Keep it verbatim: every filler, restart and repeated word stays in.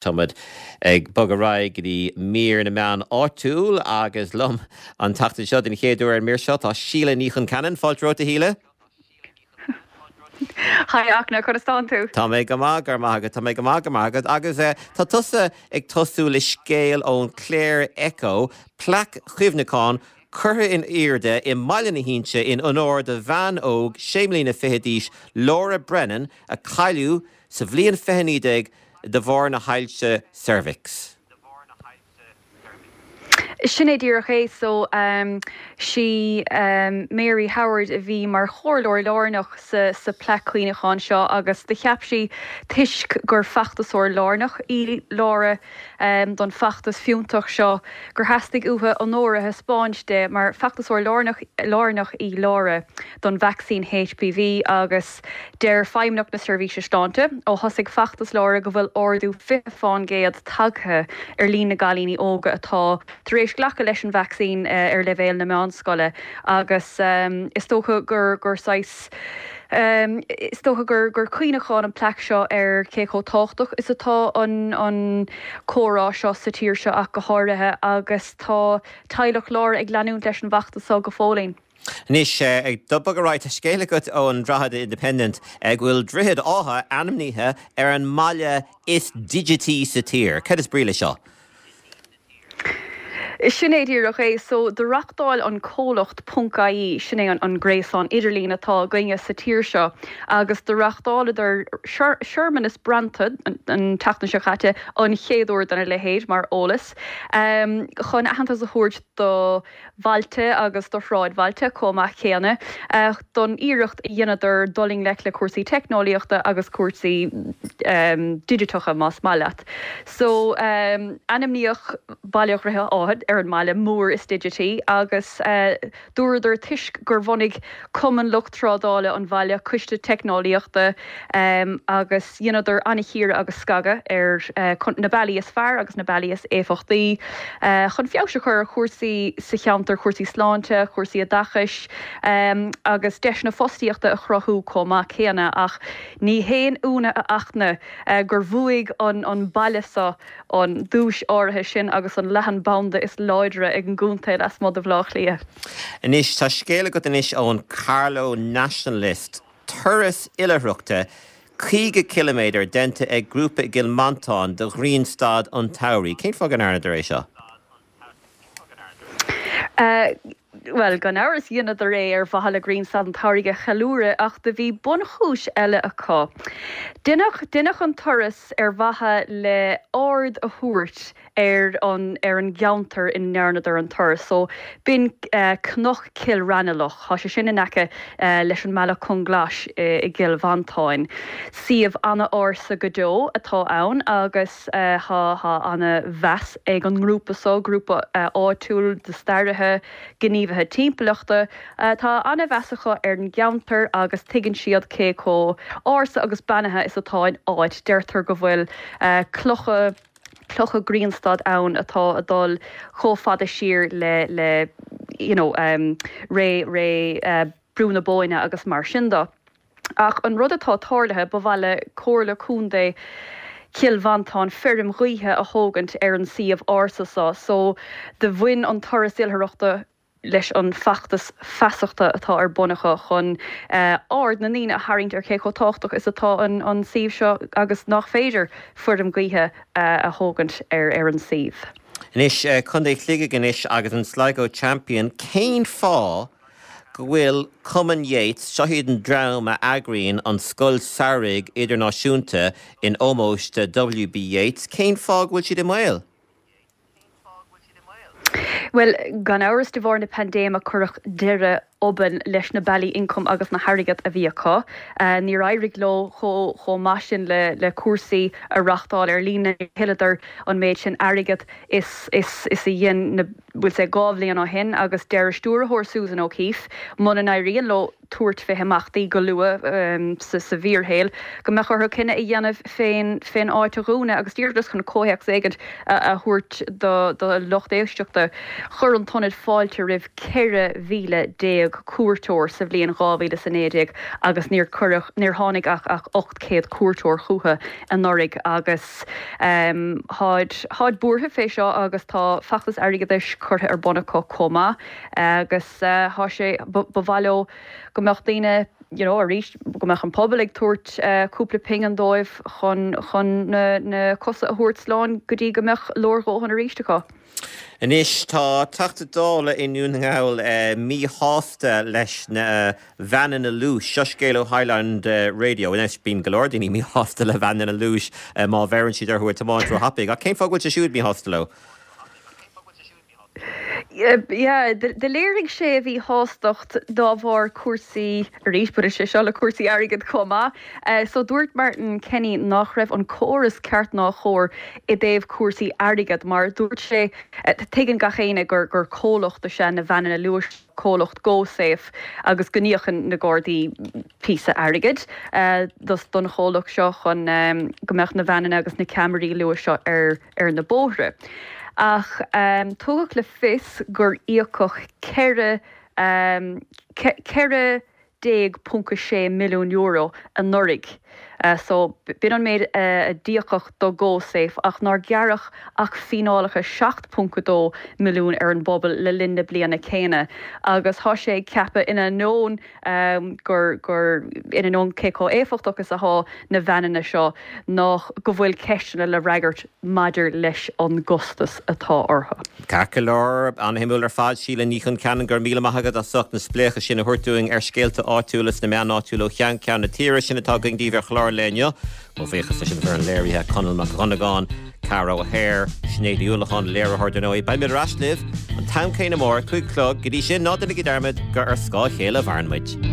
Táimid ag bogadh ar aghaidh go dtí mír na meán áitiúil agus liom an tseachtain seo den chéad uair ar an mír seo tá Síle Ní Chonceanainn fáilte romhat a Shíle. Hi Achna conas tánn tú? Tá mé go maith gur maith agat tá mé go maith go maith agat agus eh, tá tusa ag tosú le scéal ón Clare Echo, plaic chuimhneacháin curtha in airde i mBaile na hInse in onóir do bhean óg sé bliana fichead d'aois Laura Brennan a cailleadh sa bhliain fiche naoi déag de bharr na hailse ceirbheacs. Sin é díreach é so um, sí um, Mary Howard a bhí mar chomhairleoir lárnach sa, sa plaic chuimhneacháin seo agus do cheap sí toisc gur feachtasóir lárnach í Laura um, don feachtas fiúntach seo gur theastaigh uaithi onóir a thaispeáint di mar feachtasóir lárnach lárnach í Laura don vacsaín HPV agus deir Feidhmeannacht na Seirbhíse Sláinte ó thosaigh feachtas Laura go bhfuil ardú fiche faoin gcéad tagtha ar líon na gcailíní óga atá tar éis glacadh leis an vacsaín uh, ar leibhéal na meánscoile agus um, is dócha gur gur sais um, is dócha gur gur cuimhneachán an plaic seo ar cé chomh tábhachtach is atá an an comhrá seo sa tír seo ach go háirithe agus tá teaghlach Laura ag leanúint leis an bhfeachtas seo go fóillín. Anois ag bogadh ar aghaidh tá scéal agat ón Drogheda Independent ag bhfuil Droichead Átha ainmnithe ar an mbaile is digití sa tír. Cad is brí leis seo? Sin é díreach é so do reáchtáil an comhlacht ponc IE sin é an, an gréasán idirlín atá againne sa tír seo agus do reáchtáladar searmanas bronnta an, an tseachtain seo caite an chéad uair dena leithéid mar eolas um, chun aitheantas a thabhairt do bhailte agus do shráidbhailte chomh maith céanna uh, don iarracht a dheineadar dul i ngleic le cúrsaí teicneolaíochta agus cúrsaí um, digiteacha más maith leat. So um, ainmníodh Baile Dhroichead Átha ar an mbaile mór is digití agus uh, dúradar toisc gur bhunaigh Cumann Lucht Trádála an bhaile coiste teicneolaíochta um, agus dheineadar an-chíoradh agus scagadh ar uh, na bealaí is fearr agus na bealaí is éifeachtaí uh, chun feabhas a chur ar chúrsaí sa cheantar cúrsaí sláinte, cúrsaí oideachais um, agus deiseanna fostaíochta a chruthú chomh maith céanna ach ní haon ionadh a Fhachtna uh, gur bhuaigh an an baile seo an duais áirithe sin agus an leathanbhanda is láidre ag an gcontae lasmuigh de Bhaile Átha Cliath. Anois tá scéal agat anois ón Carlow Nationalist turas oilithreachta caoga ciliméadar déanta ag grúpa i gCill Mhantáin do ghrianstad an tsamhraidh. Cén fáth go ndearnadar é seo? Uh, Well gan amhras dheineadar é ar mhaithe le grianstad an tsamhraidh a cheiliúradh ach do bhí bunchúis eile acu. Deineadh deineadh an turas ar mhaithe le aird a thabhairt ar an ar an gceantar ina ndearnadar an turas, so b'in uh, Cnoc Chill Raghnallach, Tá sé sin in aice uh, leis an mBealach Conglais uh, i gCill Mhantáin. Suíomh an-ársa go deo atá ann agus uh, tá an-mheas ag an ngrúpa seo grúpa uh, áitiúil de staraithe gníomhaithe timpeallachta uh, tá an-mheas acu ar an gceantar agus tuigeann siad cé chomh ársa agus beannaithe is atá an áit deirtear go bhfuil uh, clocha clocha grianstad ann atá ag dul chomh fada siar le le you know, um, ré ré uh, Brú na Bóinne agus mar sin de. Ach an rud atá tarlaithe ba mhaith le Comhairle Contae Chill Mhantáin feirm ghaoithe a thógaint ar an suíomh ársa seo, so do bhain an turas oilithreachta leis an feachtas feasachta atá ar bun acu chun uh, aird na ndaoine a tharraingt ar cé chomh tábhachtach is atá an, an suíomh seo agus nach féidir feirm ghaoithe uh, a thógaint ar ar an suíomh. Anois uh, Contae Shligigh anois agus an Sligo Champion cén fáth go bhfuil Cumann Yeats seo iad an dream a eagraíonn an Scoil Samhraidh Idirnáisiúnta in ómós do WB Yeats, cén fáth go bhfuil siad i mbaol? Well gan amhras de bharr na paindéime cuireadh deireadh obann leis na bealaí ioncaim agus na hairgead a bhí acu. Uh, Níor éirigh leo chomh maith sin le, le cúrsaí a reáchtáil ar líne thuilleadar an méid sin airgead is, is, is a dhein na bhfuil sé dhá bhliain ó shin agus deir stiúrthóir Susan O'Keefe muna n-éiríonn leo tabhairt faoi imeachtaí go luath um, sa, sa bhfíorshaol, go mbeadh orthu cinneadh a dhéanamh fén fén áit a dhúnadh agus díreach chun comhthéacs éigin a, a thabhairt do, do lucht éisteachta chuir an t-ionad fáilte roimh ceithre mhíle déag déag cuairteoir sa bhliain dhá mhíle is a naoi déag agus níor cuireadh, níor tháinig ach ach ocht gcéad cuairteoir chucu anuraidh agus táid, táid buartha fé seo agus tá feachtas airgeadais curtha ar bun acu chomh maith agus tá sé, ba mhaith leo go mbeadh daoine, you know, arís, go mbeadh an pobal ag tabhairt cúpla pingin dóibh chun, chun na, na cosa a thabhairt slán go dtí go mbeadh leordhóthain arís acu. Anois tá Teachta Dála i nDún na nGall míshásta leis na veaineanna luais. Seo scéal ó Highland Radio. Anois bíonn go leor daoine míshásta le veaineanna luais má bheireann siad orthu ag tiomáint róthapaidh. Ach cén fáth go bhfuil sé siúd míshásta leo? Yeah, do léirigh sé a mhíshástacht dá bharr cúrsaí, arís baineann sé seo le cúrsaí airgid chomh maith. So dúirt Martin Kenny nach raibh an córas ceart ná chóir i dtaobh cúrsaí airgid mar dúirt sé, tuigeann gach éinne gur gur comhlacht is ea na veaineanna luais, comhlacht GoSafe agus go n-íocann na Gardaí píosa airgid don chomhlacht seo chun go mbeadh na veaineanna agus na ceamaraí luais seo ar ar na bóithre. Ach tugadh le fios gur íocadh ceithre ceithre déag ponc a sé milliún euro anuraidh. So b'in an méid a d'íocadh do GoSafe ach nár gearradh ach fíneálacha seacht ponc a dó milliún ar an bpobal le linn na bliana céanna. Agus tá sé ag ceapadh in ainneoin gur gur in ainneoin cé chomh éifeachtach is atá na veaineanna seo nach go bhfuil ceisteanna le fhreagairt maidir leis an gcostas atá orthu. Ceart go leor, an-shuimiúil ar fad, Síle Ní Choncheanainn, go raibh míle maith agat as ucht na spléachadh sin a thabhairt dúinn ar scéalta áitiúla sna meáin áitiúla ó cheann ceann na tíre. Sin atá againn daoibh ar chlár an lae inniu. Mo bhuíochas leis an bhfoireann léirithe, Conall Mac Dhonnagáin, Cara O'Hare, Sinéad Ní Uallacháin, léiritheoir dar ndóigh. Beidh muid ar ais libh an t-am céanna amárach, cúig a chlog. Go dtí sin, ná déanaigí dearmad gur ar scáth a chéile a mhaireann muid.